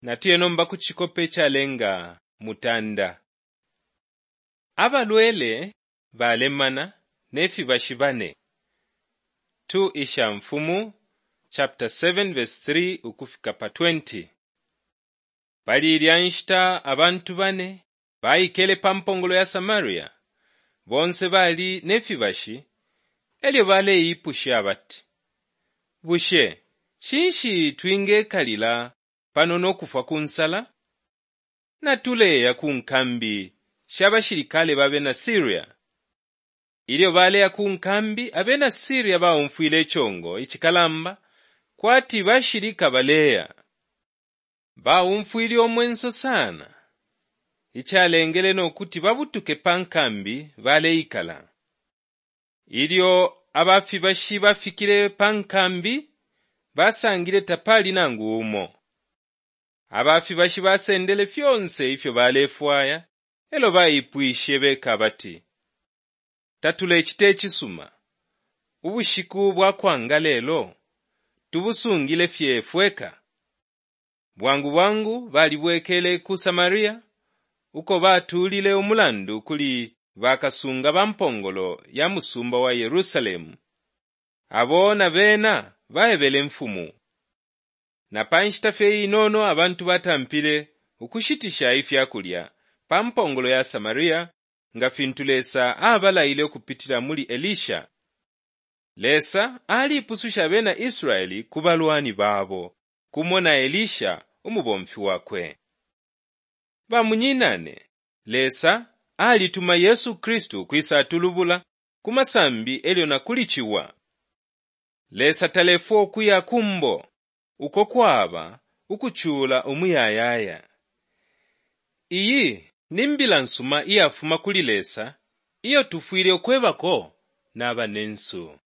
Natuye nomba ku cikope icalenga mutanda. Abalwele balemana ne fibashi bane. 2 Ishamfumu chapter 7 verse 3 ukufika pa 20. Pali ilya nshita abantu bane baikele pa mpongolo ya Samaria. Bonse bali ne fibashi e lyo baleipusha abati, Bushe cinshi twingekalila pano no kufwa ku nsala? Natuleya ku nkambi sha bashilikale ba bena Siria. Ilyo baleya ku nkambi, abena Siria baumfwile icongo icikalamba kwati bashilika baleya. Baumfwile umwenso sana, icalengele no kuti babutuke pa nkambi baleikala. Ilyo aba fibashi bafikile pa nkambi, basangile tapali nangu umo. Aba fibashi basendele fyonse ifyo balefwaya e lyo baipwishe beka abati, Tatulecita icisuma. Ubushiku bwa kwanga lelo tubusungile fye fweka. Bwangu bwangu balibwekele ku Samaria uko batuulile umulandu kuli bakasunga ba mpongolo ya musumba wa Yerusalemu, abo na bena baebele imfumu. Na pa nshita fye inono abantu batampile ukushitisha ifya kulya pa mpongolo ya Samaria nga fintu Lesa abalaile ukupitila muli Elisha. Lesa alipususha abena Israeli ku balwani babo, kumo na Elisha umubomfi wakwe. Bamunyinane, Lesa alituma Yesu Kristu ukwisatulubula ku masambi elyo na kuli ciwa. Lesa talefwa ukuya kumbo uko kwaba ukucula umuyayaya. Iyi ni mbila nsuma iyafuma kuli Lesa iyo tufwile ukwebako na banensu.